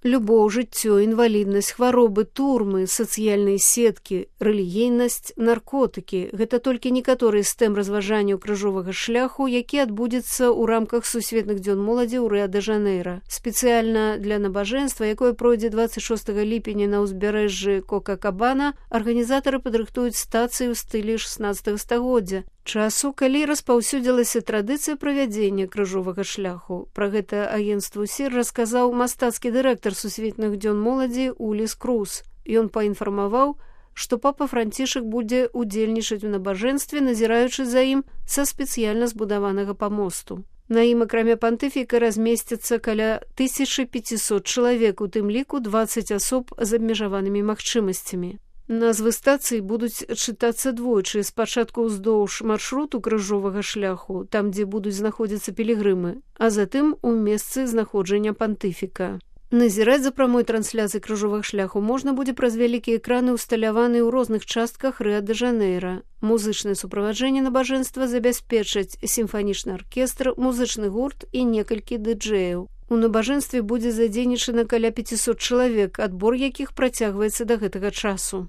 Любоў, жыццё, інваліднасць, хваробы, турмы, сацыяльныя сеткі, рэлігійнасць, наркотыкі – гэта толькі некаторыя з тэм разважанняў крыжовага шляху, які адбудзецца ў рамках Сусветных дзён моладзі ў Рыа-дэ-Жанэйра. Спецыяльна для набажэнства, якое пройдзе 26 ліпеня на ўзбярэжжы Кока-Кабана, арганізатары падрыхтуюць стацыі ў стылі 16 стагоддзя. Часу, калі распаўсюдзілася традыцыя правядзення крыжовага шляху. Пра гэта агенцтву СІР расказаў мастацкі дырэктар Сусветных дзён моладзі Уліс Круз. Ён паінфармаваў, што папа Францішак будзе удзельнічаць у набажэнстве, назіраючы за ім са спецыяльна збудаванага памосту. На ім, акрамя пантыфіка, размесцяцца каля 1500 чалавек, у тым ліку 20 асоб з абмежаванымі магчымасцямі. Назвы стацый будуць чытацца двойчы, спачатку ўздоўж маршруту крыжовага шляху, там, дзе будуць знаходзіцца пілігрымы, а затым у месцы знаходжання пантыфіка. Назіраць за прамой трансляцыяй крыжовага шляху можна будзе праз вялікія экраны, усталяваныя ў розных частках Рыа-дэ-Жанэйра. Музычнае суправаджэнне набажэнства забяспечаць сімфанічны аркестр, музычны гурт і некалькі дыджэяў. У набажэнстве будзе задзейнічана каля 500 чалавек, адбор якіх працягваецца да гэтага часу.